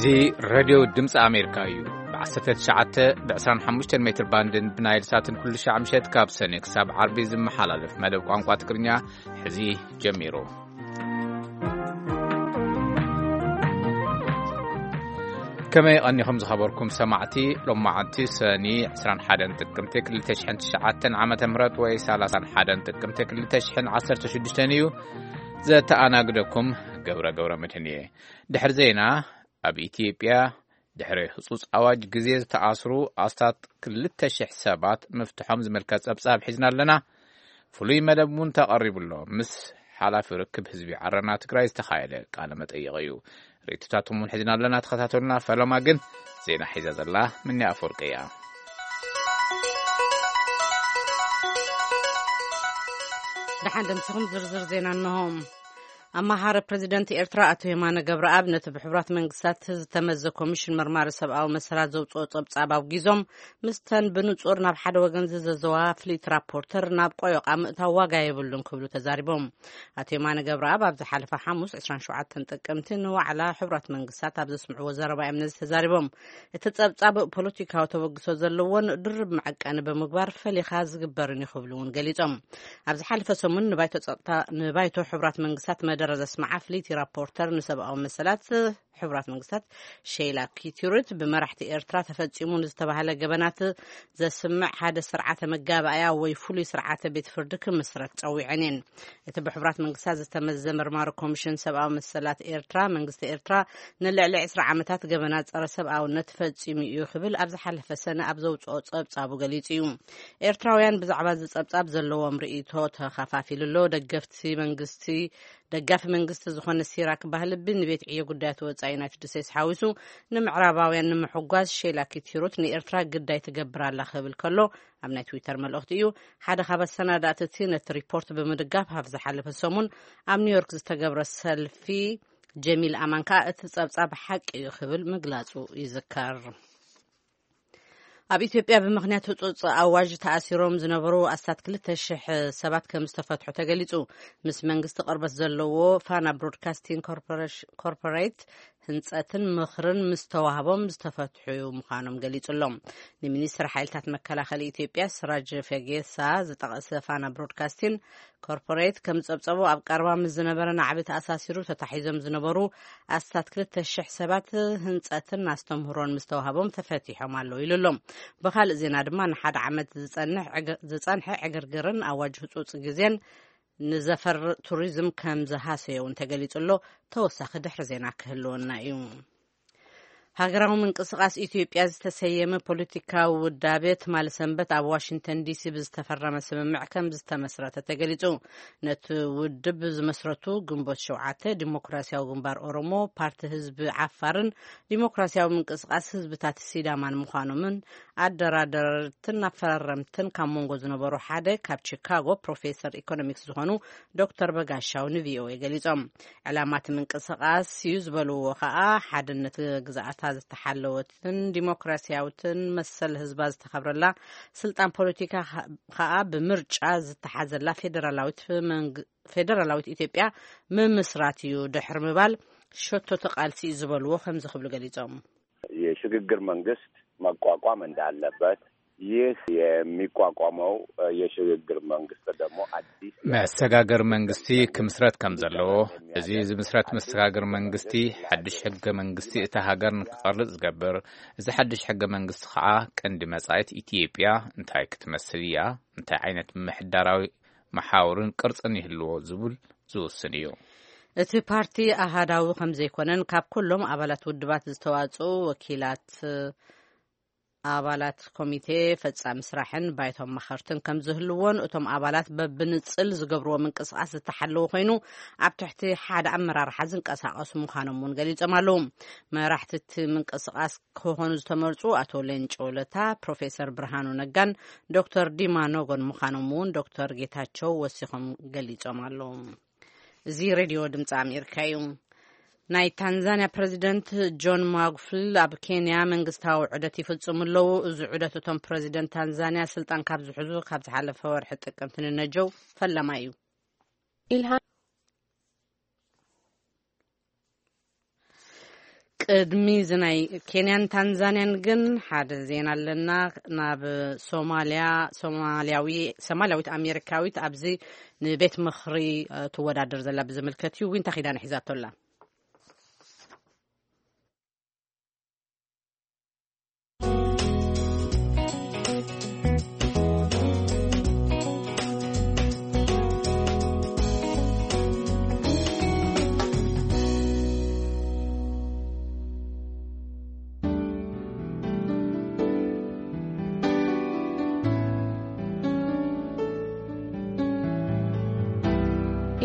እዚ ሬድዮ ድምፂ ኣሜሪካ እዩ። ብ19፣ ብ25 ሜትር ባንድን ብናይል ሳትን ኩሉ ሻዕ ምሸት ካብ ሰኔ ክሳብ ዓርቢ ዝመሓላለፍ መደብ ቋንቋ ትግርኛ ሕዚ ጀሚሩ። ከመይ ቀኒኹም ዝኸበርኩም ሰማዕቲ? ሎማዓንቲ ሰኒ 21 ጥቅምቲ 2009 ዓመተ ምህረት ወይ 31 ጥቅምቲ 2016 እዩ። ዘተኣናግደኩም ገብረ ገብረ መድህን እየ። ድሕሪ ዜና፣ ኣብ ኢትዮጵያ ድሕሪ ህጹጽ ኣዋጅ ግዜ ዝተኣስሩ ኣስታት 2,000 ሰባት ምፍትሖም ዝምልከት ጸብጻብ ሒዝና ኣለና። ፍሉይ መደብ እውን ተቐሪቡ ኣሎ። ምስ ሓላፊ ርክብ ህዝቢ ዓረና ትግራይ ዝተኻየደ ቃለ መጠይቕ እዩ። ርእይቶታቶም እውን ሒዝና ኣለና። ተኸታተሉና። ፈለማ ግን ዜና ሒዛ ዘላ ምንያ ኣፈወርቂ እያ። ደሓን ደምሲኹም ዝርዝር ዜና እንሆ። ኣማኻሪ ፕሬዚደንት ኤርትራ ኣቶ የማነ ገብረኣብ ነቲ ብሕቡራት መንግስታት ዝተመዘ ኮሚሽን መርማሪ ሰብኣዊ መሰላት ዘውፅኦ ጸብጻብ ኣውጊዞም፣ ምስተን ብንጹር ናብ ሓደ ወገን ዝዘዘዋ ፍሊት ራፖርተር ናብ ቆዮቓ ምእታው ዋጋ የብሉን ክብሉ ተዛሪቦም። ኣቶ የማነ ገብረኣብ ኣብ ዝሓለፈ ሓሙስ 27 ጥቅምቲ ንዋዕላ ሕቡራት መንግስታት ኣብ ዘስምዕዎ ዘረባ እዮም ነዚ ተዛሪቦም። እቲ ጸብጻብ ፖለቲካዊ ተበግሶ ዘለዎን ድርብ መዐቀኒ ብምግባር ፈሊኻ ዝግበርን እዩ ክብሉ እውን ገሊጾም። ኣብ ዝሓለፈ ሰሙን ንባይቶ ጸጥታ፣ ንባይቶ ሕቡራት መንግስታት መደረ ዘስመዓ ፍሊቲ ራፖርተር ንሰብኣዊ መሰላት ሕቡራት መንግስታት ሼላ ኪቲሩት ብመራሕቲ ኤርትራ ተፈጺሙ ንዝተባህለ ገበናት ዘስምዕ ሓደ ስርዓተ መጋባእያ ወይ ፍሉይ ስርዓተ ቤት ፍርዲ ክምስረት ጸዊዐን እየን። እቲ ብሕቡራት መንግስታት ዝተመዘ መርማሪ ኮሚሽን ሰብኣዊ መሰላት ኤርትራ፣ መንግስቲ ኤርትራ ንልዕሊ 20 ዓመታት ገበናት ጸረ ሰብኣውነት ፈጺሙ እዩ ክብል ኣብ ዝሓለፈ ሰነ ኣብ ዘውጽኦ ጸብጻቡ ገሊጹ እዩ። ኤርትራውያን ብዛዕባ እዚ ጸብጻብ ዘለዎም ርእይቶ ተኸፋፊሉ ኣሎ። ደገፍቲ መንግስቲ፣ ደጋፊ መንግስቲ ዝኾነ ሲራክ ባህልቢ ንቤት ዕዮ ጉዳያት ወጻኢ ዩናይትድ ስቴትስ ሓዊሱ ንምዕራባውያን ንምሕጓዝ ሼላ ኪቲሩት ንኤርትራ ግዳይ ትገብር ኣላ ክብል ከሎ ኣብ ናይ ትዊተር መልእኽቲ እዩ። ሓደ ካብ ኣሰናዳእቲ እቲ ነቲ ሪፖርት ብምድጋፍ ኣብ ዝሓለፈ ሰሙን ኣብ ኒውዮርክ ዝተገብረ ሰልፊ ጀሚል ኣማን ከኣ እቲ ጸብጻብ ሓቂ እዩ ክብል ምግላጹ ይዝከር። ኣብ ኢትዮጵያ ብምኽንያት ህጹጽ ኣዋጅ ተኣሲሮም ዝነበሩ ኣስታት 2,000 ሰባት ከም ዝተፈትሑ ተገሊጹ። ምስ መንግስቲ ቅርበት ዘለዎ ፋና ብሮድካስቲንግ ኮርፖሬሽ-፣ ኮርፖሬት ህንጸትን ምኽርን ምስ ተዋህቦም ዝተፈትሑ ምዃኖም ገሊጹ ኣሎ። ንሚኒስትር ሓይልታት መከላኸሊ ኢትዮጵያ ስራጅ ፈጌሳ ዝጠቐሰ ፋና ብሮድካስቲንግ ኮርፖሬት ከም ዝጸብጸቦ ኣብ ቀረባ ምስ ዝነበረ ናዕቢ ተኣሳሲሩ ተታሒዞም ዝነበሩ ኣስታት 2,000 ሰባት ህንጸትን ኣስተምህሮን ምስ ተዋህቦም ተፈቲሖም ኣለዉ ኢሉ ኣሎ። ብኻልእ ዜና ድማ ንሓደ ዓመት ዝጸንሕ ዕግ-፣ ዝጸንሐ ዕግርግርን ኣዋጅ ህጹጽ ግዜን ንዘፈር ቱሪዝም ከም ዝሃሰዮ እውን ተገሊጹ ኣሎ። ተወሳኺ ድሕሪ ዜና ክህልወና እዩ። ሃገራዊ ምንቅስቓስ ኢትዮጵያ ዝተሰየመ ፖለቲካዊ ውዳቤ ትማሊ ሰንበት ኣብ ዋሽንግተን ዲሲ ብዝተፈረመ ስምምዕ ከም ዝተመስረተ ተገሊጹ። ነቲ ውድብ ዝመስረቱ ግንቦት ሸውዓተ፣ ዲሞክራሲያዊ ግንባር ኦሮሞ፣ ፓርቲ ህዝቢ ዓፋርን ዲሞክራሲያዊ ምንቅስቓስ ህዝብታት ሲዳማን ምዃኖምን ኣደራደርትን ኣፈራረምትን ካብ መንጎ ዝነበሩ ሓደ ካብ ቺካጎ ፕሮፌሰር ኢኮኖሚክስ ዝኾኑ ዶክተር በጋሻው ንቪኦኤ ገሊጾም። ዕላማ እቲ ምንቅስቓስ እዩ ዝበልዎ ከኣ ሓድነት ግዝኣታ ዝተሓለወትን ዲሞክራሲያዊትን መሰል ህዝባ ዝተኸብረላ፣ ስልጣን ፖለቲካ ከኣ ብምርጫ ዝተሓዘላ ፌደራላዊት መንግ-፣ ፌደራላዊት ኢትዮጵያ ምምስራት እዩ ድሕሪ ምባል ሸቶቲ ቃልሲ እዩ ዝበልዎ ከምዚ ክብሉ ገሊጾም። የሽግግር መንግስት መቋቋም እንዳለበት፣ ይህ የሚቋቋመው የሽግግር መንግስት ደግሞ አዲስ መሰጋገር መንግስቲ ክምስረት ከም ዘለዎ፣ እዚ ዝምስረት መሰጋገር መንግስቲ ሓድሽ ሕገ መንግስቲ እታ ሃገር ንክቐርጽ ዝገብር፣ እዚ ሓድሽ ሕገ መንግስቲ ከዓ ቀንዲ መጻኢት ኢትዮጵያ እንታይ ክትመስል እያ፣ እንታይ ዓይነት ምምሕዳራዊ መሓውርን ቅርጽን ይህልዎ ዝብል ዝውስን እዩ። እቲ ፓርቲ ኣሃዳዊ ከም ዘይኮነን ካብ ኩሎም ኣባላት ውድባት ዝተዋጽኡ ወኪላት ኣባላት ኮሚቴ ፈጻሚ ስራሕን ባይቶ ኣማኸርትን ከም ዝህልዎን እቶም ኣባላት በብንጽል ዝገብርዎ ምንቅስቓስ ዝተሓለወ ኮይኑ ኣብ ትሕቲ ሓደ ኣመራርሓ ዝንቀሳቐሱ ምዃኖም እውን ገሊጾም ኣለዉ። መራሕቲ እቲ ምንቅስቓስ ክኾኑ ዝተመርጹ ኣቶ ሌንጮ ለታ፣ ፕሮፌሰር ብርሃኑ ነጋን ዶክተር ዲማ ኖጎን ምዃኖም እውን ዶክተር ጌታቸው ወሲኾም ገሊጾም ኣለዉ። እዚ ሬድዮ ድምፂ ኣሜሪካ እዩ። ናይ ታንዛንያ ፕሬዚደንት ጆን ማጉፉሊ ኣብ ኬንያ መንግስታዊ ዑደት ይፍጽሙ ኣለዉ። እዚ ዑደት እቶም ፕሬዚደንት ታንዛንያ ስልጣን ካብ ዝሕዙ ካብ ዝሓለፈ ወርሒ ጥቅምቲ ንነጀው ፈለማ እዩ። ኢልሃም ቅድሚ እዚ ናይ ኬንያን ታንዛንያን ግን ሓደ ዜና ኣለና። ናብ ሶማልያ፣ ሶማልያዊ-፣ ሶማልያዊት ኣሜሪካዊት ኣብዚ ንቤት ምኽሪ፣ እ፣ ትወዳደር ዘላ ብዝምልከት እዩ። ዊንታ ኪዳነ ሒዛቶ ኣላ።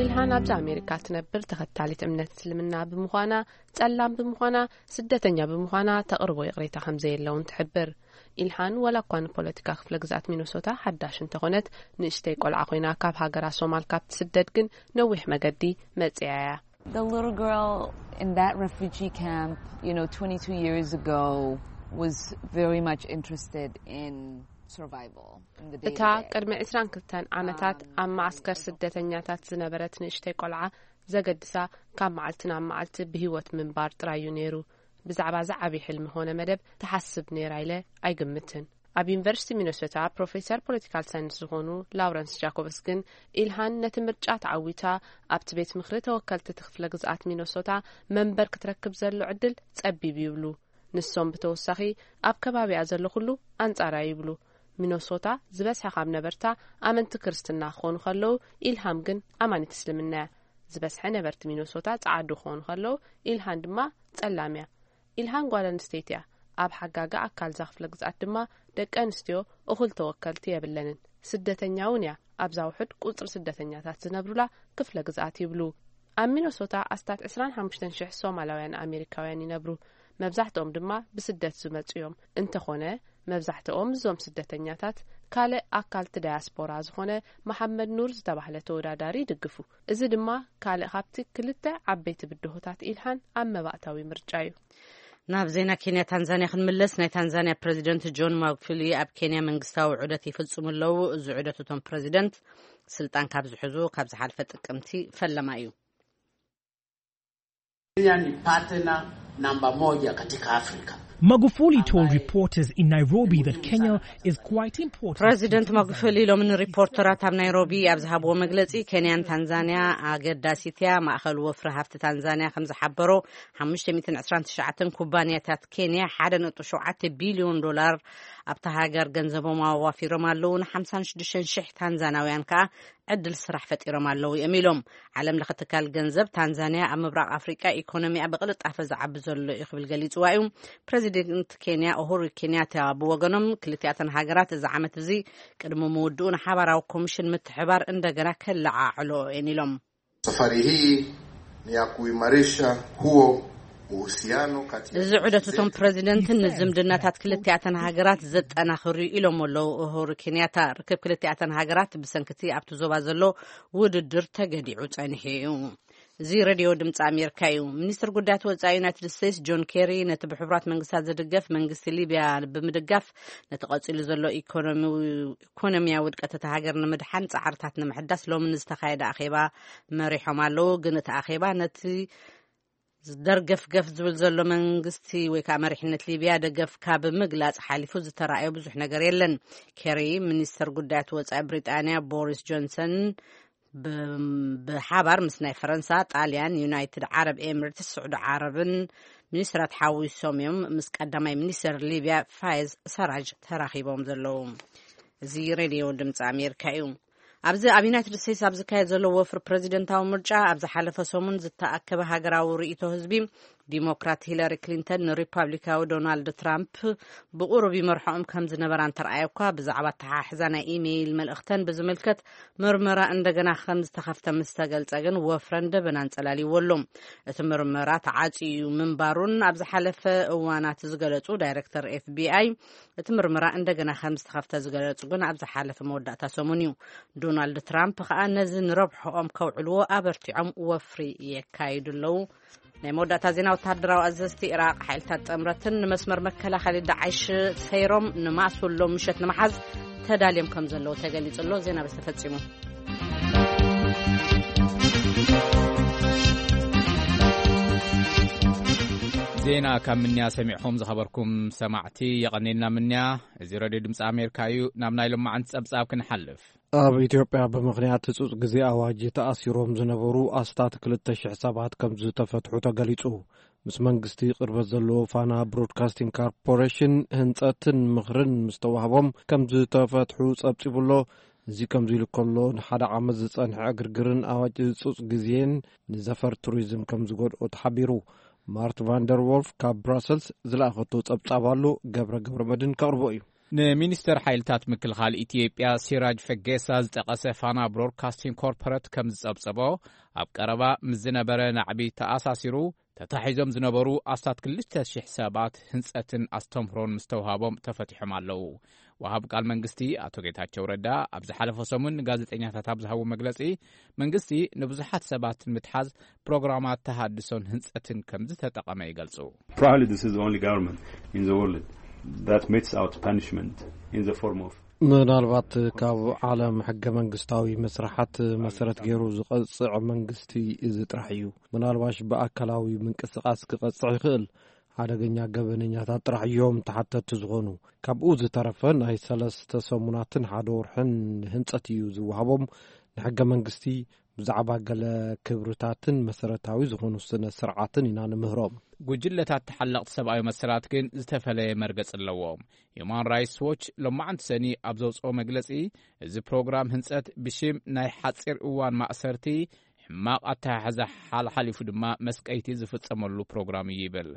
ኢልሃን ኣብዚ ኣሜሪካ ትነብር ተኸታሊት እምነት እስልምና ብምዃና፣ ጸላም ብምዃና፣ ስደተኛ ብምዃና ተቕርቦ ይቕሬታ ከም ዘየለ እውን ትሕብር። ኢልሃን ዋላ እኳ ንፖለቲካ ክፍለ ግዝኣት ሚነሶታ ሓዳሽ እንተኾነት፣ ንእሽተይ ቆልዓ ኮይና ካብ ሃገራ ሶማል ካብ ትስደድ ግን ነዊሕ መገዲ መጺኣ እያ። The little girl in that refugee camp, you know, twenty-two years ago, was very much interested in survival in the day to እታ day. ቅድሚ ዕስራን ክልተን ዓመታት ኣብ መዓስከር ስደተኛታት ዝነበረት ንእሽተይ ቆልዓ ዘገድሳ ካብ መዓልቲ ናብ መዓልቲ ብህይወት ምንባር ጥራይ እዩ ነይሩ። ብዛዕባ ዝዓቢ ሕልሚ ኾነ መደብ ትሓስብ ነይራ ኢለ ኣይግምትን። ኣብ ዩኒቨርሲቲ ሚነሶታ ፕሮፌሰር ፖለቲካል ሳይንስ ዝኾኑ ላውረንስ ጃኮብስ ግን፣ ኢልሃን ነቲ ምርጫ ተዓዊታ ኣብቲ ቤት ምኽሪ ተወከልቲ እቲ ክፍለ ግዝኣት ሚነሶታ መንበር ክትረክብ ዘሎ ዕድል ጸቢብ ይብሉ። ንሶም ብተወሳኺ ኣብ ከባቢኣ ዘሎ ኩሉ ኣንጻራ ይብሉ። ሚነሶታ ዝበዝሐ ካብ ነበርታ ኣመንቲ ክርስትና ክኾኑ ከለዉ፣ ኢልሃም ግን ኣማኒት እስልምና እያ። ዝበዝሐ ነበርቲ ሚነሶታ ጸዓዱ ክኾኑ ከለዉ፣ ኢልሃን ድማ ጸላም እያ። ኢልሃን ጓል ኣንስተይቲ እያ። ኣብ ሓጋጋ ኣካል እዛ ክፍለ ግዝኣት ድማ ደቂ ኣንስትዮ እኹል ተወከልቲ የብለንን። ስደተኛ እውን እያ። ኣብዛ ውሑድ ቁጽሪ ስደተኛታት ዝነብሩላ ክፍለ ግዝኣት ይብሉ። ኣብ ሚነሶታ ኣስታት ዕስራን ሓሙሽተን ሽሕ ሶማላውያን ኣሜሪካውያን ይነብሩ። መብዛሕትኦም ድማ ብስደት ዝመጹ እዮም። እንተኾነ፣ መብዛሕትኦም እዞም ስደተኛታት ካልእ ኣካልቲ ዳያስፖራ ዝኾነ መሓመድ ኑር ዝተባህለ ተወዳዳሪ ይድግፉ። እዚ ድማ ካልእ ካብቲ ክልተ ዓበይቲ ብድሆታት ኢልሃን ኣብ መባእታዊ ምርጫ እዩ። ናብ ዜና ኬንያ ታንዛንያ ክንምለስ፣ ናይ ታንዛንያ ፕረዚደንት ጆን ማጉፉሊ ኣብ ኬንያ መንግስታዊ ዑደት ይፍጽሙ ኣለዉ። እዚ ዑደት እቶም ፕረዚደንት ስልጣን ካብ ዝሕዙ ካብ ዝሓልፈ ጥቅምቲ ፈለማ እዩ። Kenya ni partner namba moja katika Afrika. Magufuli told reporters in Nairobi that Kenya is quite important. ፕረዚደንት ማጉፉሊ ሎሚ ንሪፖርተራት ኣብ ናይሮቢ ኣብ ዝሃብዎ መግለጺ፣ ኬንያን ታንዛንያ ኣገዳሲት እያ። ማእኸል ወፍሪ ሃፍቲ ታንዛንያ ከም ዝሓበሮ፣ ሓሙሽተ ሚእትን ዕስራን ትሽዓተን ኩባንያታት ኬንያ ሓደ ነጥቢ ሸውዓተ ቢልዮን ዶላር ኣብታ ሃገር ገንዘቦም ኣዋፊሮም ኣለዉ። ን ሓምሳን ሽዱሽተን ሽሕ ታንዛናውያን ከኣ ዕድል ስራሕ ፈጢሮም ኣለዉ እዮም ኢሎም። ዓለም ለኸ ትካል ገንዘብ፣ ታንዛንያ ኣብ ምብራቕ ኣፍሪቃ ኢኮኖሚኣ ብቕልጣፈ ዝዓቢ ዘሎ እዩ ክብል ገሊጽዋ እዩ። ፕረዚደንት ኬንያ ኡሁሩ ኬንያታ ብወገኖም፣ ክልቲኣተን ሃገራት እዚ ዓመት እዚ ቅድሚ ምውድኡ ንሓባራዊ ኮሚሽን ምትሕባር እንደገና ከለዓዕሎ እየን ኢሎም። Safari hii ni ya kuimarisha huo uhusiano kati ya እዚ ዑደት እቶም ፕረዚደንትን ንዝምድናታት ክልቲኣተን ሃገራት ዘጠናኽር እዩ ኢሎም ኣለዉ ኡሁሩ ኬንያታ። ርክብ ክልቲኣተን ሃገራት ብሰንክቲ ኣብቲ ዞባ ዘሎ ውድድር ተገዲዑ ጸኒሑ እዩ። እዚ ሬድዮ ድምፂ ኣሜሪካ እዩ። ሚኒስትር ጉዳያት ወፃኢ ዩናይትድ ስቴትስ ጆን ኬሪ ነቲ ብሕቡራት መንግስታት ዝድገፍ መንግስቲ ሊብያ ብምድጋፍ ነቲ ቀፂሉ ዘሎ ኢኮኖሚ-፣ ኢኮኖሚያዊ ውድቀት እታ ሃገር ንምድሓን ፃዕርታት ንምሕዳስ ሎሚ ንዝተኻየደ ኣኼባ መሪሖም ኣለዉ። ግን እቲ ኣኼባ ነቲ ደርገፍገፍ ዝብል ዘሎ መንግስቲ ወይ ከዓ መሪሕነት ሊብያ ደገፍካ ብምግላፅ ሓሊፉ ዝተራእዮ ብዙሕ ነገር የለን። ኬሪ ሚኒስተር ጉዳያት ወፃኢ ብሪጣንያ ቦሪስ ጆንሰን ብ-፣ ብሓባር ምስ ናይ ፈረንሳ፣ ጣልያን፣ ዩናይትድ ዓረብ ኤምሬትስ፣ ስዑዲ ዓረብን ሚኒስትራት ሓዊሶም እዮም ምስ ቀዳማይ ሚኒስትር ሊብያ ፋይዝ ሰራጅ ተራኺቦም ዘለዉ። እዚ ሬድዮ ድምፂ ኣሜሪካ እዩ። ኣብዚ ኣብ ዩናይትድ ስቴትስ ኣብ ዝካየድ ዘሎ ወፍሪ ፕረዚደንታዊ ምርጫ፣ ኣብ ዝሓለፈ ሰሙን ዝተኣከበ ሃገራዊ ርእይቶ ህዝቢ፣ ዲሞክራት ሂለሪ ክሊንተን ንሪፓብሊካዊ ዶናልድ ትራምፕ ብቑሩብ ይመርሖም ከም ዝነበራ እንተረኣየ እኳ፣ ብዛዕባ ኣተሓሕዛ ናይ ኢሜይል መልእኽተን ብዝምልከት ምርመራ እንደገና ከም ዝተኸፍተ ምስ ተገልጸ ግን፣ ወፍረን ደበናን ጸላልይዎ ኣሎ። እቲ ምርመራ ተዓጽዩ ምንባሩን ኣብ ዝሓለፈ እዋናት ዝገለጹ ዳይሬክተር ኤፍ ቢ ኣይ፣ እቲ ምርመራ እንደገና ከም ዝተኸፍተ ዝገለጹ ግን ኣብ ዝሓለፈ መወዳእታ ሰሙን እዩ። ዶናልድ ትራምፕ ከኣ ነዚ ንረብሖኦም ከውዕልዎ ኣበርቲዖም ወፍሪ የካይዱ ኣለዉ። ናይ መወዳእታ ዜና፣ ወተሃደራዊ ኣዘዝቲ ኢራቕ፣ ሓይልታት ጥምረትን ንመስመር መከላኸሊ ዳዕሽ ሰይሮም ንማእሱ ሎም ምሸት ንምሓዝ ተዳልዮም ከም ዘለዉ ተገሊጹ ኣሎ። ዜና በዚ ተፈጺሙ። ዜና ካብ ምንያ ሰሚዕኹም ዝኸበርኩም ሰማዕቲ የቐኔልና ምንያ። እዚ ሬድዮ ድምፂ ኣሜሪካ እዩ። ናብ ናይ ሎማዓንቲ ጸብጻብ ክንሓልፍ። ኣብ ኢትዮጵያ ብምኽንያት ህጹጽ ግዜ ኣዋጅ ተኣሲሮም ዝነበሩ ኣስታት ክልተ ሽሕ ሰባት ከም ዝተፈትሑ ተገሊጹ። ምስ መንግስቲ ቅርበት ዘለዎ ፋና ብሮድካስቲንግ ኮርፖሬሽን ህንጸትን ምኽርን ምስ ተዋህቦም ከም ዝተፈትሑ ጸብጺቡ ኣሎ። እዚ ከምዚ ኢሉ ከሎ፣ ንሓደ ዓመት ዝጸንሐ ዕግርግርን ኣዋጅ ህጹጽ ግዜን ንዘፈር ቱሪዝም ከም ዝጎድኦ ተሓቢሩ። ማርት ቫንደር ዎልፍ ካብ ብራሰልስ ዝለኣኸቶ ጸብጻብ ኣሎ፣ ገብረ ገብረ መድን ከቕርቦ እዩ። ንሚኒስተር ሓይልታት ምክልኻል ኢትዮጵያ ሲራጅ ፈጌሳ ዝጠቐሰ ፋና ብሮድካስቲንግ ኮርፖሬት ከም ዝጸብጸቦ፣ ኣብ ቀረባ ምስ ዝነበረ ናዕቢ ተኣሳሲሩ ተታሒዞም ዝነበሩ ኣስታት ክልተ ሽሕ ሰባት ህንጸትን ኣስተምህሮን ምስ ተውሃቦም ተፈቲሖም ኣለዉ። ወሃብ ቃል መንግስቲ ኣቶ ጌታቸው ረዳ ኣብ ዝሓለፈ ሰሙን ንጋዜጠኛታት ኣብ ዝሃቦ መግለጺ፣ መንግስቲ ንብዙሓት ሰባት ንምትሓዝ ፕሮግራማት ተሃድሶን ህንጸትን ከም ዝተጠቐመ ይገልጹ። Probably this is the only government in the world that metes out punishment in the form of ምናልባት ካብ ዓለም ሕገ መንግስታዊ መስርሓት መሰረት ገይሩ ዝቐጽዕ መንግስቲ እዚ ጥራሕ እዩ። ምናልባሽ ብኣካላዊ ምንቅስቓስ ክቐጽዕ ይኽእል። ሓደገኛ ገበነኛታት ጥራሕ እዮም ተሓተቲ ዝኾኑ። ካብኡ ዝተረፈ ናይ ሰለስተ ሰሙናትን ሓደ ወርሕን ህንጸት እዩ ዝወሃቦም። ንሕገ መንግስቲ ብዛዕባ ገለ ክብርታትን መሰረታዊ ዝኾኑ ስነ ስርዓትን ኢና ንምህሮም። ጉጅለታት ተሓለቕቲ ሰብኣዊ መሰላት ግን ዝተፈለየ መርገጽ ኣለዎም። ሂዩማን ራይትስ ዎች ሎማዓንቲ ሰኒ ኣብ ዘውፅኦ መግለጺ፣ እዚ ፕሮግራም ህንጸት ብሽም ናይ ሓጺር እዋን ማእሰርቲ፣ ሕማቕ ኣተሓሕዛ ሓልሓሊፉ ድማ መስቀይቲ ዝፍጸመሉ ፕሮግራም እዩ ይብል።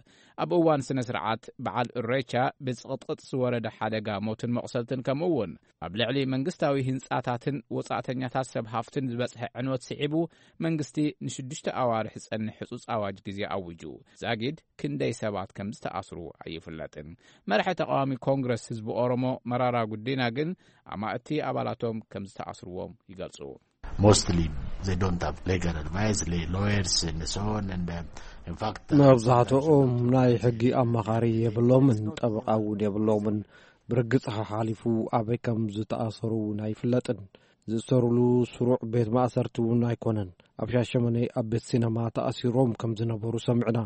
ኣብ እዋን ስነ ስርዓት በዓል እሬቻ ብጽቕጥቕጥ ዝወረደ ሓደጋ ሞትን መቑሰልትን ከምኡ እውን ኣብ ልዕሊ መንግስታዊ ህንጻታትን ወጻእተኛታት ሰብ ሃፍትን ዝበጽሐ ዕንወት ስዒቡ መንግስቲ ንሽዱሽተ ኣዋርሕ ዝጸንሕ ህጹጽ ኣዋጅ ግዜ ኣዊጁ። ዛጊድ ክንደይ ሰባት ከም ዝተኣስሩ ኣይፍለጥን። መራሒ ተቃዋሚ ኮንግረስ ህዝቢ ኦሮሞ መራራ ጉዲና ግን ኣማእቲ ኣባላቶም ከም ዝተኣስርዎም ይገልጹ። Mostly they don't have legal advice, lawyers and so on, and uh, in fact, uh, መብዛሕትኦም ናይ ሕጊ ኣማኻሪ የብሎምን፣ ጠበቃ እውን የብሎምን። ብርግጽ ሓሓሊፉ ኣበይ ከም ዝተኣሰሩ እውን ኣይፍለጥን። ዝእሰሩሉ ስሩዕ ቤት ማእሰርቲ እውን ኣይኮነን። ኣብ ሻሸመኔ ኣብ ቤት ሲነማ ተኣሲሮም ከም ዝነበሩ ሰሚዕና።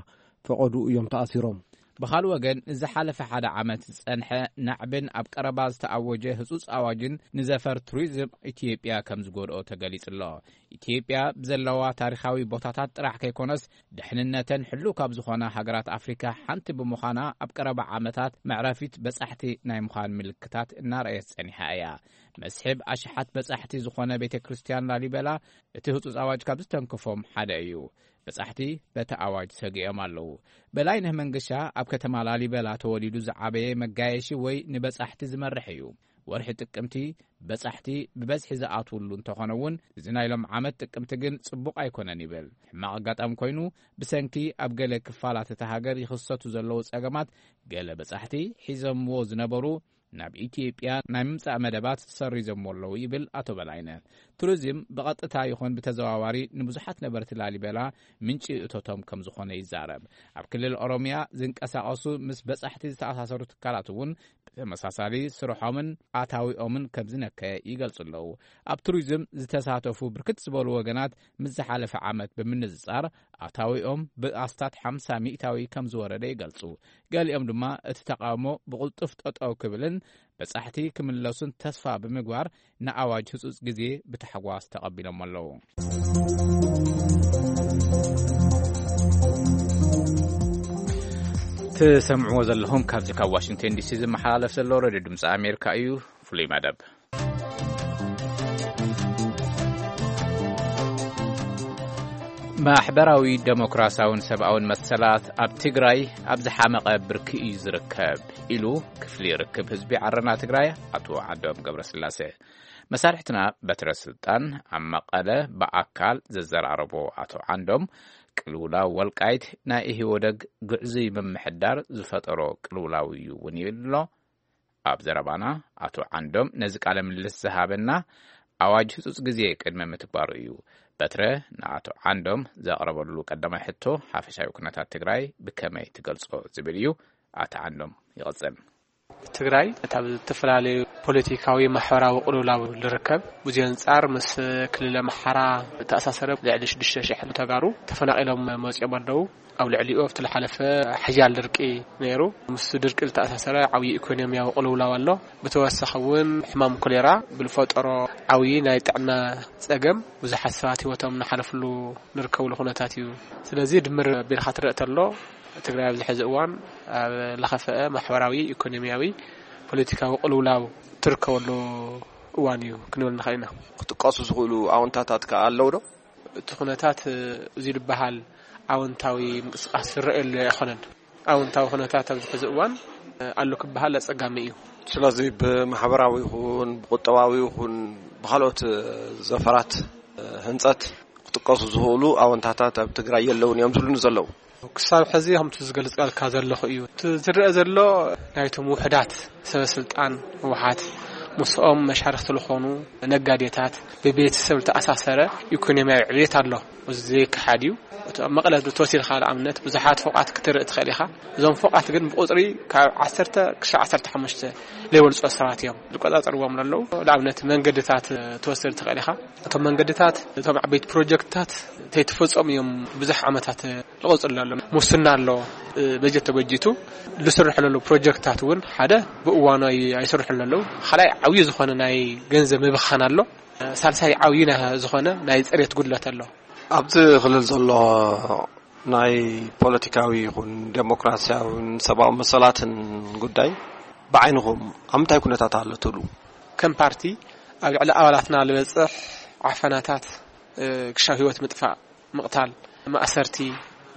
ፈቐዱ እዮም ተኣሲሮም። ብኻልእ ወገን፣ ንዝሓለፈ ሓደ ዓመት ዝጸንሐ ናዕብን ኣብ ቀረባ ዝተኣወጀ ህጹጽ ኣዋጅን ንዘፈር ቱሪዝም ኢትዮጵያ ከም ዝጎድኦ ተገሊጹ ኣሎ። ኢትዮጵያ ብዘለዋ ታሪኻዊ ቦታታት ጥራሕ ከይኮነስ፣ ድሕንነተን ሕሉው ካብ ዝኾና ሃገራት ኣፍሪካ ሓንቲ ብምዃና፣ ኣብ ቀረባ ዓመታት መዕረፊት በጻሕቲ ናይ ምዃን ምልክታት እናረኣየት ጸኒሓ እያ። መስሕብ ኣሽሓት በጻሕቲ ዝኾነ ቤተ ክርስቲያን ላሊበላ እቲ ህጹጽ ኣዋጅ ካብ ዝተንከፎም ሓደ እዩ። በጻሕቲ በቲ ኣዋጅ ሰጊኦም ኣለዉ። በላይነህ መንገሻ ኣብ ከተማ ላሊበላ ተወሊዱ ዝዓበየ መጋየሺ ወይ ንበጻሕቲ ዝመርሕ እዩ። ወርሒ ጥቅምቲ በጻሕቲ ብበዝሒ ዝኣትውሉ እንተኾነ እውን፣ እዚ ናይ ሎም ዓመት ጥቅምቲ ግን ጽቡቕ ኣይኮነን ይብል። ሕማቕ ኣጋጣሚ ኮይኑ፣ ብሰንኪ ኣብ ገለ ክፋላት እታ ሃገር ይኽሰቱ ዘለዉ ጸገማት፣ ገለ በጻሕቲ ሒዞምዎ ዝነበሩ ናብ ኢትዮጵያ ናይ ምምጻእ መደባት ሰሪዞምዎ ኣለዉ ይብል ኣቶ በላይነህ። ቱሪዝም ብቐጥታ ይኹን ብተዘዋዋሪ ንብዙሓት ነበርቲ ላሊበላ ምንጪ እቶቶም ከም ዝኾነ ይዛረብ። ኣብ ክልል ኦሮሚያ ዝንቀሳቐሱ ምስ በጻሕቲ ዝተኣሳሰሩ ትካላት እውን ብተመሳሳሊ ስርሖምን ኣታዊኦምን ከም ዝነከየ ይገልጹ ኣለዉ። ኣብ ቱሪዝም ዝተሳተፉ ብርክት ዝበሉ ወገናት ምስ ዝሓለፈ ዓመት ብምንጽጻር ኣታዊኦም ብኣስታት ሓምሳ ሚእታዊ ከም ዝወረደ ይገልጹ። ገሊኦም ድማ እቲ ተቃውሞ ብቕልጡፍ ጠጠው ክብልን በጻሕቲ ክምለሱን ተስፋ ብምግባር ንኣዋጅ ህጹጽ ግዜ ብታሕጓስ ተቐቢሎም ኣለዉ። ትሰምዕዎ ዘለኹም ካብዚ ካብ ዋሽንግተን ዲሲ ዝመሓላለፍ ዘሎ ሬድዮ ድምፂ ኣሜሪካ እዩ። ፍሉይ መደብ። ማሕበራዊ ደሞክራሲያውን ሰብኣውን መሰላት ኣብ ትግራይ ኣብ ዝሓመቐ ብርኪ እዩ ዝርከብ ኢሉ ክፍሊ ርክብ ህዝቢ ዓረና ትግራይ ኣቶ ዓንዶም ገብረስላሴ። መሳርሕትና በትረ ስልጣን ኣብ መቐለ ብኣካል ዘዘራረቦ ኣቶ ዓንዶም፣ ቅልውላው ወልቃይት ናይ ኢህወደግ ግዕዙይ ምምሕዳር ዝፈጠሮ ቅልውላው እዩ እውን ይብል ኣሎ። ኣብ ዘረባና ኣቶ ዓንዶም ነዚ ቃለ ምልልስ ዝሃበና ኣዋጅ ህጹጽ ግዜ ቅድሚ ምትግባሩ እዩ። በትረ ንኣቶ ዓንዶም ዘቕረበሉ ቀዳማይ ሕቶ፣ ሓፈሻዊ ኩነታት ትግራይ ብከመይ ትገልጾ ዝብል እዩ። ኣቶ ዓንዶም ይቕጽል። ትግራይ ካብ ዝተፈላለዩ ፖለቲካዊ ማሕበራዊ ቅልውላው ዝርከብ። ብዙ ኣንጻር ምስ ክልል ኣምሓራ ዝተኣሳሰረ ልዕሊ ሽዱሽተ ሽሕ ተጋሩ ተፈናቒሎም መጺኦም ኣለዉ። ኣብ ልዕሊኡ ኣብቲ ዝሓለፈ ሓያል ድርቂ ነይሩ። ምስ ድርቂ ዝተኣሳሰረ ዓብዪ ኢኮኖሚያዊ ቅልውላው ኣሎ። ብተወሳኺ እውን ሕማም ኮሌራ ብዝፈጠሮ ዓብዪ ናይ ጥዕና ጸገም ብዙሓት ሰባት ህይወቶም እናሓለፍሉ ንርከብሉ ኩነታት እዩ። ስለዚ ድምር ኣቢልካ ትረእ ተሎ ትግራይ ኣብዚ ሕዚ እዋን ኣብ ለኸፈአ ማሕበራዊ፣ ኢኮኖሚያዊ፣ ፖለቲካዊ ቅልውላው ትርከበሉ እዋን እዩ ክንብል ንኽእል ኢና። ክጥቀሱ ዝኽእሉ ኣወንታታት ከኣ ኣለዉ ዶ? እቲ ኩነታት እዚ ዝበሃል ኣወንታዊ ምንቅስቃስ ዝረኣየሉ ኣይኮነን። ኣወንታዊ ኩነታት ኣብዚ ሕዚ እዋን ኣሎ ክበሃል ኣጸጋሚ እዩ። ስለዚ ብማሕበራዊ ይኹን ብቁጠባዊ ይኹን ብኻልኦት ዘፈራት ህንጸት ክጥቀሱ ዝኽእሉ ኣወንታታት ኣብ ትግራይ የለውን እዮም ዝብሉኒ ዘለዉ። ክሳብ ሕዚ ከምቲ ዝገልጸልካ ዘለኹ እዩ። እቲ ዝረአ ዘሎ ናይቶም ውሕዳት ሰበ ስልጣን ህወሓት ምስኦም መሻርክቲ ዝኾኑ ነጋዴታት ብቤተሰብ ዝተኣሳሰረ ኢኮኖሚያዊ ዕብየት ኣሎ። እዚ ዘይከሓድ እዩ። እቲ ኣብ መቐለ ተወሲድካ ንኣብነት ብዙሓት ፎቓት ክትርኢ ትኽእል ኢኻ። እዞም ፎቓት ግን ብቁጽሪ ካብ ዓሰርተ ክሳብ ዓሰርተ ሓሙሽተ ዘይበልጹ ሰባት እዮም ዝቆጻጸርዎም ዘለዉ። ንኣብነት መንገድታት ትወስድ ትኽእል ኢኻ። እቶም መንገድታት እቶም ዓበይቲ ፕሮጀክትታት ተይተፈጸሙ እዮም ብዙሕ ዓመታት ዝቐጽሉ ኣሎ። ሙስና ኣሎ። በጀት ተበጂቱ ዝስርሑ ዘለዉ ፕሮጀክትታት እውን ሓደ ብእዋኑ ኣይ-፣ ኣይስርሑን ዘለዉ። ካልኣይ ዓብዪ ዝኾነ ናይ ገንዘብ ምብኻን ኣሎ። ሳልሳይ ዓብዪ ናይ ዝኾነ ናይ ጽሬት ጉድለት ኣሎ። ኣብዚ ክልል ዘሎ ናይ ፖለቲካዊ ይኹን ዴሞክራሲያውን ሰብኣዊ መሰላትን ጉዳይ ብዓይንኹም ኣብ ምንታይ ኩነታት ኣሎ ትብሉ? ከም ፓርቲ ኣብ ልዕሊ ኣባላትና ዝበጽሕ ዓፈናታት፣ እ፣ ክሻብ ህይወት ምጥፋእ፣ ምቕታል፣ ማእሰርቲ፣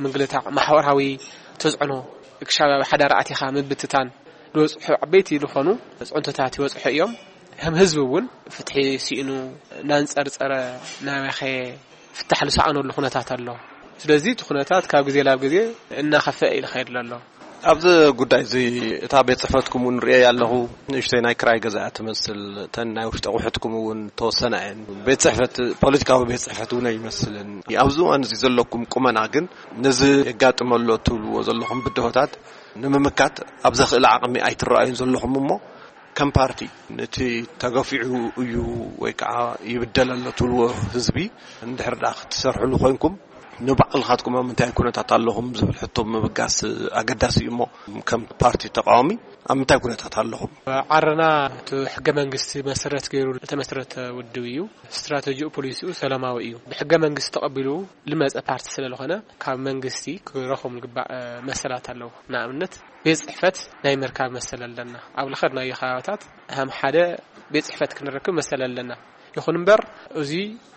ምግልታዕ፣ ማሕበራዊ ተጽዕኖ፣ ክሻብ ኣብ ሓዳር ኣቲኻ ምብትታን ዝበጽሑ ዓበይቲ ዝኾኑ ጽዕንቶታት ይበጽሑ እዮም። ከም ህዝቢ እውን ፍትሒ ስኢኑ እናንጸርጸረ ናበኸ ፍታሕ ዝሰኣነሉ ኩነታት ኣሎ። ስለዚ እቲ ኩነታት ካብ ግዜ ናብ ግዜ እናኸፍአ እዩ ዝኸይድ ዘሎ። ኣብዚ ጉዳይ እዚ እታ ቤት ጽሕፈትኩም እውን ርእየ ኣለኹ። ንእሽተይ ናይ ክራይ ገዛ እያ ትመስል። እተን ናይ ውሽጢ ኣቑሑትኩም እውን ተወሰና እየን። ቤት ጽሕፈት፣ ፖለቲካዊ ቤት ጽሕፈት እውን ኣይመስልን። ኣብዚ እዋን እዚ ዘለኩም ቁመና ግን ነዚ የጋጥመ ኣሎ ትብልዎ ዘለኹም ብድሆታት ንምምካት ኣብ ዘኽእል ዓቕሚ ኣይትረኣዩን ዘለኹም እሞ ከም ፓርቲ ነቲ ተገፊዑ እዩ ወይ ከዓ ይብደል ኣሎ ትብልዎ ህዝቢ እንድሕር ደኣ ክትሰርሕሉ ኮይንኩም ንባዕልኻትኩም ኣብ ምንታይ ኩነታት ኣለኹም ዝብል ሕቶ ምብጋስ ኣገዳሲ እዩ እሞ ከም ፓርቲ ተቃዋሚ ኣብ ምንታይ ኩነታት ኣለኹም? ዓረና እቲ ሕገ መንግስቲ መሰረት ገይሩ ዝተመስረተ ውድብ እዩ። ስትራተጂኡ ፖሊሲኡ ሰላማዊ እዩ። ብሕገ መንግስቲ ተቐቢሉ ልመፀ ፓርቲ ስለ ዝኾነ ካብ መንግስቲ ክረኽቦም ዝግባእ መሰላት ኣለዉ። ንኣብነት ቤት ጽሕፈት ናይ ምርካብ መሰል ኣለና። ኣብ ልኸድናዮ ከባብታት ከም ሓደ ቤት ጽሕፈት ክንረክብ መሰል ኣለና። ይኹን እምበር እዚ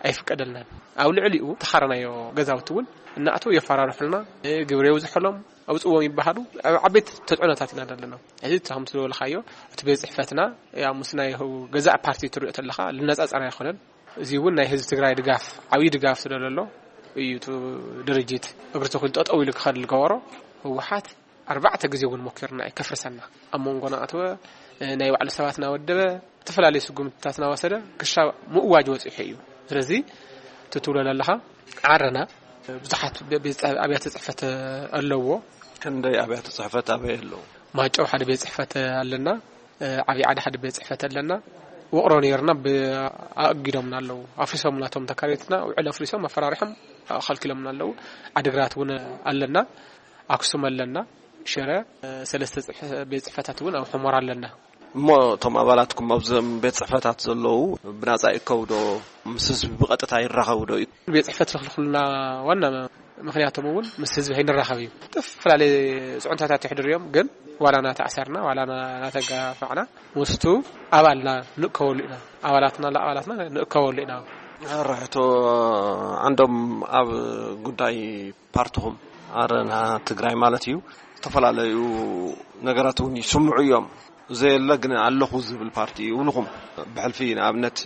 ኣይፍቀደልናን። ኣብ ልዕሊኡ ተኻረናዮ ገዛውቲ እውን እናእተው የፈራርሑልና፣ ግብሪ የብዝሑሎም፣ ኣውፅዎም ይበሃሉ። ኣብ ዓበይቲ ተፅዕኖታት ኢና ዘለና። እዚ እቲ ከምቲ ዝበልካዮ እቲ ቤት ጽሕፈትና ያው ምስ ናይ ገዛእ ፓርቲ ትሪኦ ተለኻ ልነፃፀር ኣይኮነን። እዚ እውን ናይ ህዝቢ ትግራይ ድጋፍ፣ ዓብዪ ድጋፍ ስለ ዘሎ እዩ እቲ ድርጅት እግሪ ተኺሉ ጠጠው ኢሉ ክኸድ ዝገበሮ። ህወሓት ኣርባዕተ ግዜ እውን ሞኪርና እዩ ከፍርሰና። ኣብ መንጎና ኣተወ፣ ናይ ባዕሉ ሰባት እናወደበ፣ ዝተፈላለዩ ስጉምትታት እናወሰደ ክሻብ ምእዋጅ በፂሑ እዩ። ስለዚ እቲ ትብሎ ዘለኻ ዓረና ብዙሓት ቤ-፣ ቤት-፣ ኣብያተ ፅሕፈት ኣለዎ። ክንደይ ኣብያተ ጽሕፈት ኣበይ ኣለዉ? ማጨው ሓደ ቤት ጽሕፈት ኣለና። ዓብዪ ዓዲ ሓደ ቤት ጽሕፈት ኣለና። ውቕሮ ነይርና ብ-፣ ኣእጊዶምና ኣለዉ። ኣፍሪሶም ናቶም ተካረይትና ውዕል ኣፍሪሶም ኣፈራሪሖም ከልኪሎምና ኣለዉ። ዓዲግራት እውን ኣለና። ኣክሱም ኣለና። ሽረ ሰለስተ ጽሕ-፣ ቤት ጽሕፈታት እውን ኣብ ሑመራ ኣለና። እሞ እቶም ኣባላትኩም ኣብዞም ቤት ጽሕፈታት ዘለዉ ብናጻ ይእከቡ ዶ? ምስ ህዝቢ ብቐጥታ ይራኸቡ ዶ? ቤት ጽሕፈት ዝኽልክሉና ዋና ምኽንያቶም እውን ምስ ህዝቢ ከይንራኸብ እዩ። ዝተፈላለዩ ጽዕንቶታት የሕድሩ እዮም፣ ግን ዋላ እናተኣሰርና፣ ዋላ እናተጋፋዕና፣ ምስቱ ኣባልና ንእከበሉ ኢና። ኣባላትና፣ ለኣባላትና ንእከበሉ ኢና። ሕቶ ዓንዶም፣ ኣብ ጉዳይ ፓርትኹም፣ ኣረና ትግራይ ማለት እዩ፣ ዝተፈላለዩ ነገራት እውን ይስምዑ እዮም። ዘየለ ግን ኣለኹ ዝብል ፓርቲ ይብልኹም። ብሕልፊ ንኣብነት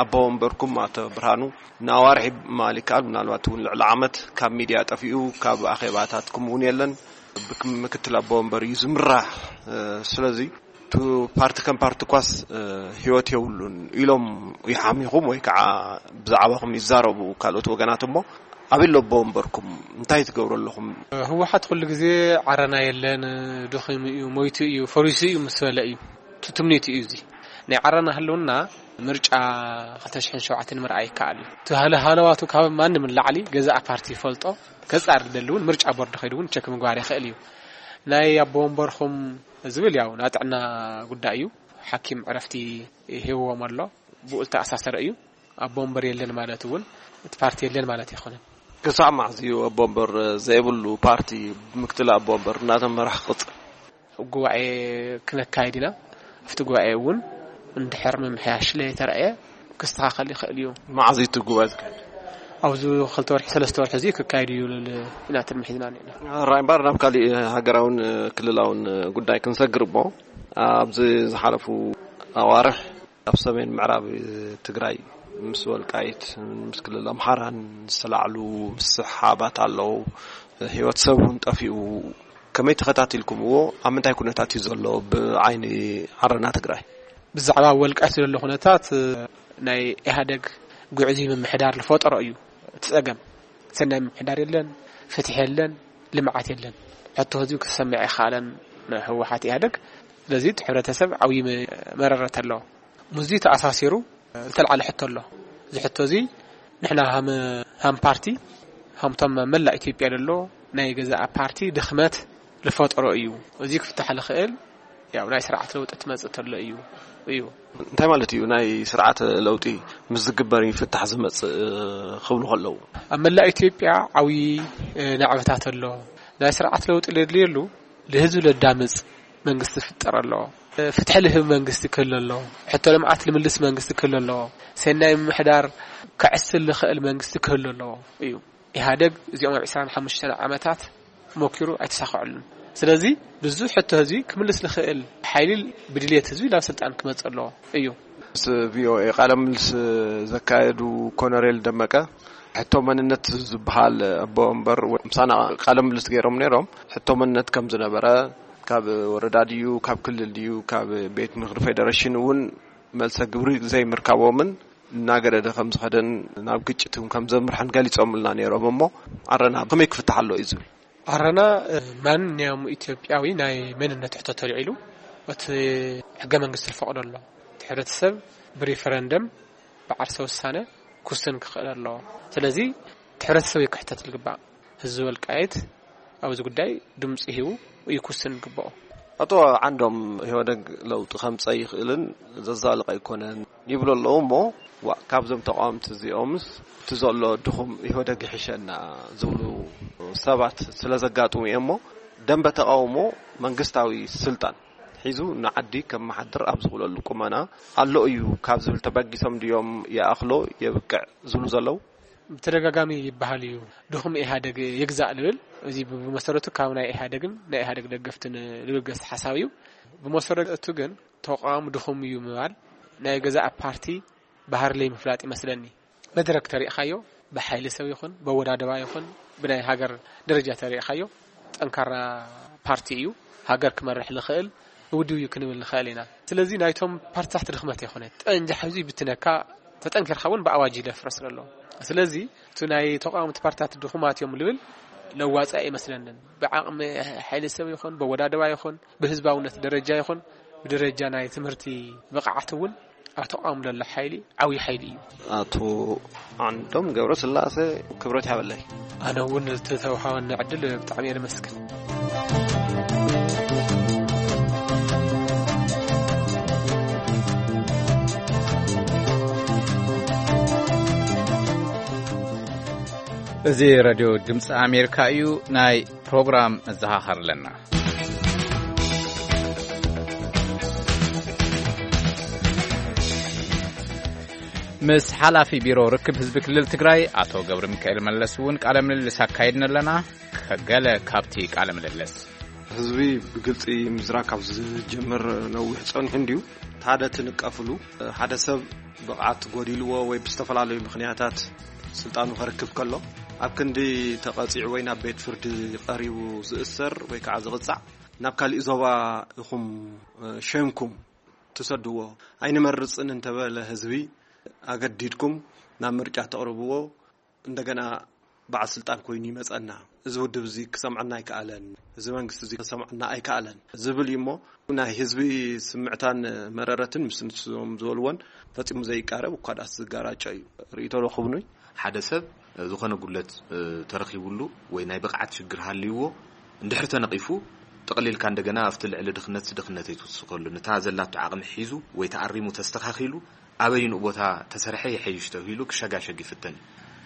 ኣቦ ወንበርኩም ኣቶ ብርሃኑ ንኣዋርሒ ማለት ይከኣል፣ ምናልባት እውን ልዕሊ ዓመት ካብ ሚድያ ጠፊኡ፣ ካብ ኣኼባታትኩም እውን የለን። ብክ-፣ ምክትል ኣቦ ወንበር እዩ ዝምራሕ። ስለዚ እቲ ፓርቲ ከም ፓርቲ ኳስ ህይወት የብሉን ኢሎም ይሓሚኹም ወይ ከዓ ብዛዕባኹም ይዛረቡ ካልኦት ወገናት እሞ፣ ኣበይ ኣሎ ኣቦ ወንበርኩም? እንታይ ትገብሩ ኣለኹም? ህወሓት ኩሉ ግዜ ዓረና የለን፣ ድኺሙ እዩ፣ ሞይቱ እዩ፣ ፈሪሱ እዩ ምስ በለ እዩ። እቲ ትምኒቱ እዩ እዚ። ናይ ዓረና ህልውና ምርጫ ክልተ ሽሕን ሸውዓተን ምርኣይ ይከኣል እዩ። እቲ ሃለ-፣ ሃለዋቱ ካብ ማንም ንላዕሊ ገዛእ ፓርቲ ይፈልጦ። ከጻር ዝደሊ እውን ምርጫ ቦርድ ከይዱ እውን ቸክ ምግባር ይኽእል እዩ። ናይ ኣቦ ወንበርኹም ዝብል ያው ናይ ጥዕና ጉዳይ እዩ። ሓኪም ዕረፍቲ ሂብዎም ኣሎ። ብኡ ዝተኣሳሰረ እዩ። ኣቦ ወንበር የለን ማለት እውን እቲ ፓርቲ የለን ማለት ኣይኮነን። ክሳዕ መዓዝ እዩ ኣቦ ወንበር ዘይብሉ ፓርቲ ብምክትል ኣቦ ወንበር እናተመራሕ ክቕጽል? ጉባኤ ክነካይድ ኢና። ኣብቲ ጉባኤ እውን እንድሕር ምምሕያሽ ለይተረኣየ ክስተኻኸል ይኽእል እዩ። መዓዝ እዩ እቲ ጉባኤ ዝካየድ? ኣብዚ ክልተ ወርሒ፣ ሰለስተ ወርሒ እዚ ክካየድ እዩ ኢልና ትልሚ ሒዝና እኒአና። ራይ እምበር ናብ ካሊእ ሃገራውን ክልላውን ጉዳይ ክንሰግር እሞ፣ ኣብዚ ዝሓለፉ ኣዋርሕ ኣብ ሰሜን ምዕራብ ትግራይ ምስ ወልቃይት፣ ምስ ክልል ኣምሓራን ዝተላዕሉ ምስሕሓባት ኣለዉ። ህይወት ሰብ እውን ጠፊኡ። ከመይ ተኸታቲልኩምዎ? ኣብ ምንታይ ኩነታት እዩ ዘሎ ብዓይኒ ዓረና ትግራይ? ብዛዕባ ወልቃይት ዘሎ ኩነታት፣ ናይ ኢህኣደግ ግዕዙይ ምምሕዳር ዝፈጠሮ እዩ እቲ ጸገም። ሰናይ ምምሕዳር የለን፣ ፍትሒ የለን፣ ልምዓት የለን። ሕቶ ህዝቢ ክሰምዕ ኣይከኣለን ንህወሓት ኢህኣደግ። ስለዚ እቲ ሕብረተሰብ ዓብዪ መ-፣ መረረት ኣለዎ። ምስዚ ተኣሳሲሩ ዝተልዓለ ሕቶ ኣሎ። እዚ ሕቶ እዚ ንሕና ሃም፣ ሃም ፓርቲ፣ ሃምቶም መላእ ኢትዮጵያ ዘሎ ናይ ገዛእ ፓርቲ ድኽመት ዝፈጠሮ እዩ። እዚ ክፍታሕ ዝኽእል ያው ናይ ስርዓት ለውጢ ትመጽእ ተሎ እዩ፣ እዩ። እንታይ ማለት እዩ? ናይ ስርዓት ለውጢ ምስ ዝግበር ይፍታሕ ዝመጽእ ክብሉ ከለዉ? ኣብ መላእ ኢትዮጵያ ዓብዪ፣ እ፣ ናዕብታት ኣሎ። ናይ ስርዓት ለውጢ ለድልየሉ ንህዝቢ ለዳምጽ መንግስቲ ክፍጠር ኣለዎ። ፍትሒ ልህብ መንግስቲ ክህሉ ኣለዎ። ሕቶ ልምዓት ልምልስ መንግስቲ ክህሉ ኣለዎ። ሰናይ ምምሕዳር ከዕስል ልኽእል መንግስቲ ክህሉ ኣለዎ እዩ። ኢህኣደግ እዚኦም ኣብ ዕስራን ሓሙሽተን ዓመታት ሞኪሩ ኣይተሳኽዐሉን። ስለዚ ብዙሕ ሕቶ ህዝቢ ክምልስ ልኽእል ሓይሊ ብድልየት ህዝቢ ናብ ስልጣን ክመጽእ ኣለዎ እዩ። ምስ ቪኦኤ ቃለ ምልስ ዘካየዱ ኮነሬል ደመቀ፣ ሕቶ መንነት ዝበሃል ኣቦ ወንበር ምሳና ቃለ ምልስ ገይሮም ነይሮም። ሕቶ መንነት ከም ዝነበረ፣ ካብ ወረዳ ድዩ፣ ካብ ክልል ድዩ፣ ካብ ቤት ምኽሪ ፌደሬሽን እውን መልሰ ግብሪ ዘይምርካቦምን እናገደደ ከም ዝኸደን ናብ ግጭት እውን ከም ዘምርሐን ገሊጾምልና ነይሮም። እሞ ዓረና ከመይ ክፍታሕ ኣሎ እዩ ዝብል? ዓረና፣ እ፣ ማንኛውም ኢትዮጵያዊ ናይ መንነት ሕቶ ተልዒሉ እቲ ሕገ መንግስቲ ዝፈቕዶ ኣሎ። እቲ ሕብረተሰብ ብሪፈረንደም ብዓርሰ ውሳነ ክውስን ክኽእል ኣለዎ። ስለዚ እቲ ሕብረተሰብ እዩ ክሕተት ዝግባእ። ህዝቢ ወልቃይት ኣብዚ ጉዳይ ድምፂ ሂቡ እዩ ክውስን ዝግብኦ። ኣቶ ዓንዶም፣ ኢህወደግ ለውጢ ከምፀእ ይኽእልን ዘዛልቕ ኣይኮነን ይብሉ ኣለዉ። እሞ ዋ፣ ካብዞም ተቃወምቲ እዚኦምስ እቲ ዘሎ ድኹም ኢህወደግ ይሕሸና ዝብሉ ሰባት ስለ ዘጋጥሙ እዮም። እሞ ደንበ ተቃውሞ መንግስታዊ ስልጣን ሒዙ ንዓዲ ከመሓድር ኣብ ዝኽእለሉ ቁመና ኣሎ እዩ ካብ ዝብል ተበጊሶም ድዮም ይኣኽሎ የብቅዕ ዝብሉ ዘለዉ? ብተደጋጋሚ ይበሃል እዩ፣ ድኹም ኢህኣደግ ይግዛእ ልብል። እዚ ብመሰረቱ ካብ ናይ ኢህኣደግን ናይ ኢህኣደግ ደገፍትን ልብል ገስ ሓሳብ እዩ። ብመሰረቱ ግን ተቃዋሚ ድኹም እዩ ምባል ናይ ገዛእ ፓርቲ ባህሪ ለይ ምፍላጥ ይመስለኒ። መድረክ ተሪእኻዮ፣ ብሓይሊ ሰብ ይኹን፣ በወዳደባ ይኹን፣ ብናይ ሃገር ደረጃ ተሪእኻዮ፣ ጠንካራ ፓርቲ እዩ። ሃገር ክመርሕ ልኽእል ውድብ እዩ ክንብል ንኽእል ኢና። ስለዚ ናይቶም ፓርትታት ድኽመት ኣይኮነ። ጠንጃ ሕዚ ብትነካ ተጠንኪርካ እውን ብኣዋጅ ይለፍረስ ዘሎ። ስለዚ እቲ ናይ ተቃወምቲ ፓርትታት ድኹማት እዮም ልብል ለዋፂ ኣይመስለንን። ብዓቕሚ ሓይሊ ሰብ ይኹን፣ በወዳደባ ይኹን፣ ብህዝባውነት ደረጃ ይኹን፣ ብደረጃ ናይ ትምህርቲ ብቕዓት እውን ኣብ ተቃውሞ ዘሎ ሓይሊ ዓብዪ ሓይሊ እዩ። ኣቶ ዓንዶም ገብረስላሴ፣ ክብረት ይሃበለይ። ኣነ እውን ዝተተውሃበኒ ዕድል ብጣዕሚ እየ ዘመስግን። እዚ ሬድዮ ድምፂ ኣሜሪካ እዩ። ናይ ፕሮግራም መዘኻኸር ኣለና። ምስ ሓላፊ ቢሮ ርክብ ህዝቢ ክልል ትግራይ ኣቶ ገብረ ሚካኤል መለስ እውን ቃለ ምልልስ ኣካይድና ኣለና። ከገለ ካብቲ ቃለ ምልልስ። ህዝቢ ብግልፂ ምዝራብ ካብ ዝጀምር ነዊሕ ፀኒሑ እንድዩ። ሓደ ትንቀፍሉ፣ ሓደ ሰብ ብቕዓት ጎዲልዎ ወይ ብዝተፈላለዩ ምኽንያታት ስልጣኑ ከርክብ ከሎ፣ ኣብ ክንዲ ተቐፂዑ ወይ ናብ ቤት ፍርዲ ቀሪቡ ዝእሰር ወይ ከዓ ዝቕፃዕ፣ ናብ ካሊእ ዞባ ኢኹም ሸንኩም ትሰድዎ። ኣይንመርፅን እንተበለ ህዝቢ ኣገዲድኩም ናብ ምርጫ ተቕርብዎ። እንደገና በዓል ስልጣን ኮይኑ ይመጸና፣ እዚ ውድብ እዚ ክሰምዐና ኣይከኣለን፣ እዚ መንግስቲ እዚ ክሰምዐና ኣይከኣለን ዝብል እዩ። እሞ ናይ ህዝቢ ስምዕታን መረረትን ምስ ንሶም ዝበልዎን ፈጺሙ ዘይቃረብ፣ እኳ ደኣስ ዝጋራጨ እዩ። ርእይቶ ዶ ክብኑይ? ሓደ ሰብ ዝኾነ ጉድለት ተረኺቡሉ ወይ ናይ ብቕዓት ሽግር ሃልይዎ እንድሕር ተነቒፉ፣ ጠቕሊልካ እንደገና ኣብቲ ልዕሊ ድኽነትሲ ድኽነት ኣይትውስኸሉ፣ ነታ ዘላቶ ዓቕሚ ሒዙ ወይ ተኣሪሙ ተስተኻኺሉ ኣበይንኡ ቦታ ተሰርሐ ይሐይሽ ተባሂሉ ክሸጋሸግ ይፍተን።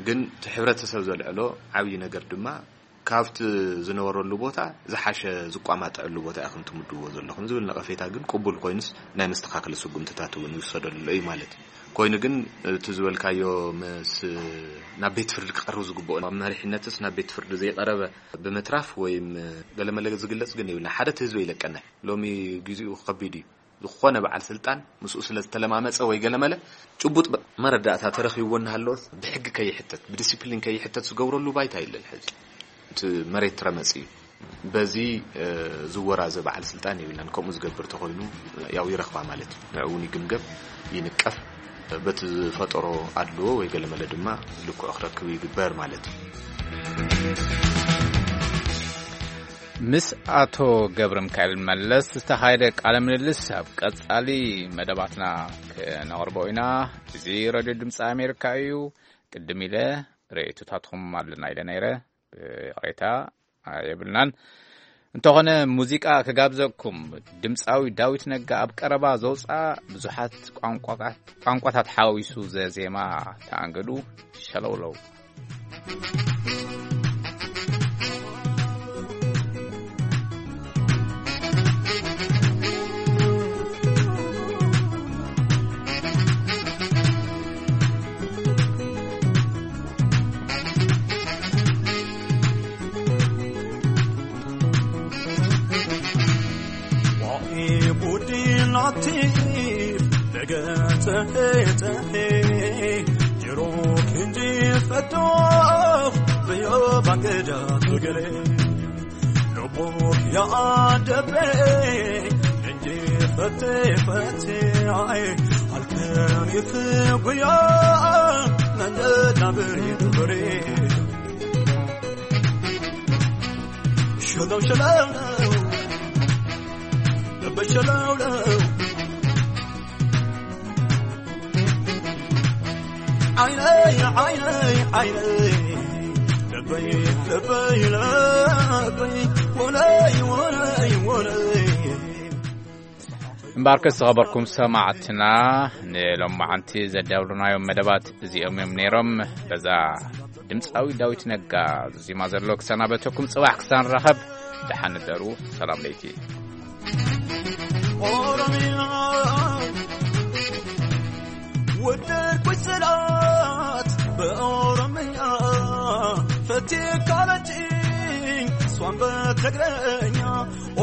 ግን እቲ ሕብረተሰብ ዘልዕሎ ዓብዪ ነገር ድማ ካብቲ ዝነበረሉ ቦታ ዝሓሸ ዝቋማጠዐሉ ቦታ ኢኹም ትምድብዎ ዘለኹም ዝብል ነቐፌታ ግን ቅቡል ኮይኑስ ናይ መስተኻኸሊ ስጉምትታት እውን ይውሰደሉ እዩ ማለት እዩ። ኮይኑ ግን እቲ ዝበልካዮ ምስ ናብ ቤት ፍርዲ ክቐርብ ዝግብኦ መሪሕነትስ ናብ ቤት ፍርዲ ዘይቀረበ ብምትራፍ ወይም ገለመለ ዝግለጽ ግን የብልና። ሓደ እቲ ህዝቢ ይለቀና። ሎሚ ግዜኡ ከቢድ እዩ። ዝኾነ በዓል ስልጣን ምስኡ ስለ ዝተለማመጸ ወይ ገለመለ ጭቡጥ በ-፣ መረዳእታ ተረኺብዎ እናሃለወስ ብሕጊ ከይሕተት፣ ብዲሲፕሊን ከይሕተት ዝገብረሉ ባይታ የለን። ሕዚ እቲ መሬት ረመጽ እዩ። በዚ፣ እ፣ ዝወራዘ በዓል ስልጣን የብልናን። ከምኡ ዝገብር ተኾይኑ ያው ይረኽባ ማለት እዩ። ንዕኡ እውን ይግምገም፣ ይንቀፍ። በቲ ዝፈጠሮ ኣድልዎ ወይ ገለመለ ድማ ልክዑ ክረክብ ይግበር ማለት እዩ። ምስ ኣቶ ገብረ ሚካኤል መለስ ዝተኻየደ ቃለ ምልልስ ኣብ ቀጻሊ መደባትና ክነቕርቦ ኢና። እዚ ሬድዮ ድምፂ ኣሜሪካ እዩ። ቅድም ኢለ ርእይቶታትኩም ኣለና ኢለ ነይረ። ብይቕሬታ የብልናን። እንተኾነ ሙዚቃ ክጋብዘኩም። ድምፃዊ ዳዊት ነጋ ኣብ ቀረባ ዘውፅኣ ብዙሓት ቋንቋታት፣ ቋንቋታት ሓዊሱ ዘዜማ ተኣንገዱ ሸለውለው። እምበኣርከስ ዝኸበርኩም ሰማዕትና፣ ንሎማዓንቲ ዘዳለናዮም መደባት እዚኦም እዮም ነይሮም። በዛ ድምፃዊ ዳዊት ነጋ ዜማ ዘሎ ክሰናበተኩም፣ ጽባሕ ክሳብ ንራኸብ ደሓን ንደሩ። ሰላም ለይቲ። ኦሮምያ ወደድኩሽ ስላት በኦሮምኛ ፈቴ ካለችኝ እሷን በትግረኛ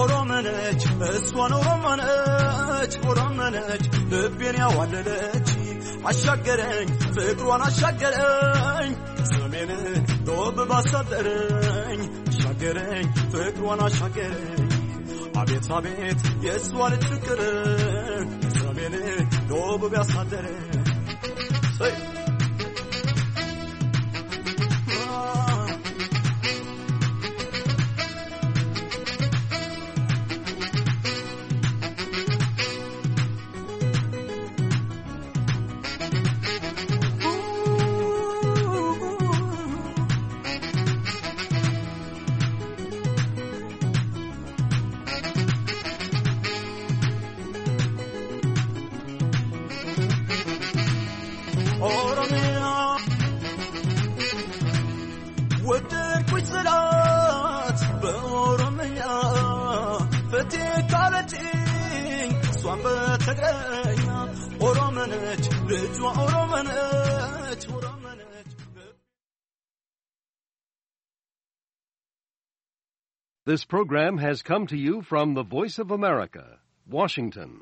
ኦሮመነች እሷን ኦሮመነች ኦሮመነች ልቤን ያዋለለች አሻገረኝ ፍቅሯን አሻገረኝ ሰሜን ዶብ ባሳደረኝ አሻገረኝ ፍቅሯን አሻገረኝ አቤት አቤት የእሷ ልጅ ፍቅር ሰሜን ዶብ ቢያሳደረኝ This program has come to you from the Voice of America, Washington.